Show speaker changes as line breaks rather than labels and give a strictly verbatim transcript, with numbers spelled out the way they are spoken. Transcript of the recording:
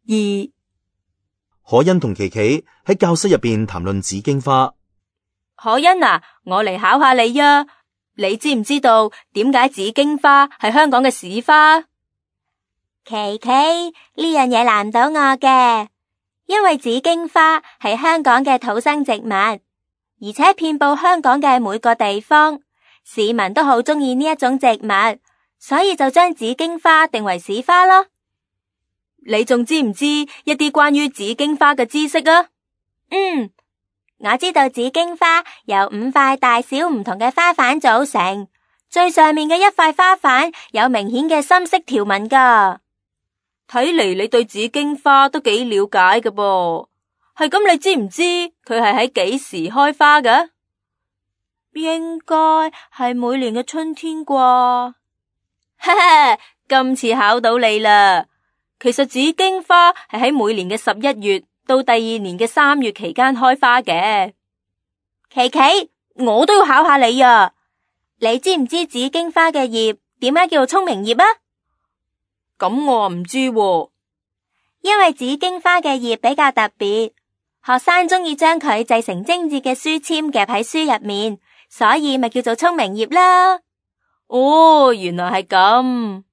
二，
可欣同琪琪喺教室入邊談論紫荊花。
可欣啊，我嚟考下你啊，你知唔知道點解紫荊花係香港嘅市花？
琪琪，呢樣嘢難唔到我嘅，因為紫荊花係香港嘅土生植物，而且遍佈香港嘅每個地方，市民都好鍾意呢一種植物，所以就將紫荊花定為市花咯。
你仲知唔知一啲關於紫荊花嘅知識啊？
嗯，我知道紫荊花由五塊大小唔同嘅花瓣組成，最上面嘅一塊花瓣有明顯嘅深色條紋噶。
睇嚟你對紫荊花都幾了解㗎噃，係咁你知唔知佢係喺幾時開花㗎？
應該係每年嘅春天啩。
哈哈，今次考到你啦！其實紫荊花係喺每年嘅十一月到第二年嘅三月期間開花嘅。
琪琪，我都要考下你啊！你知唔知紫荊花嘅葉點解叫做聰明葉啊？
咁我唔知喎。
因為紫荊花嘅葉比較特別，學生中意將佢製成精緻嘅書籤夾喺書入面，所以咪叫做聰明葉啦。
哦，原來係咁。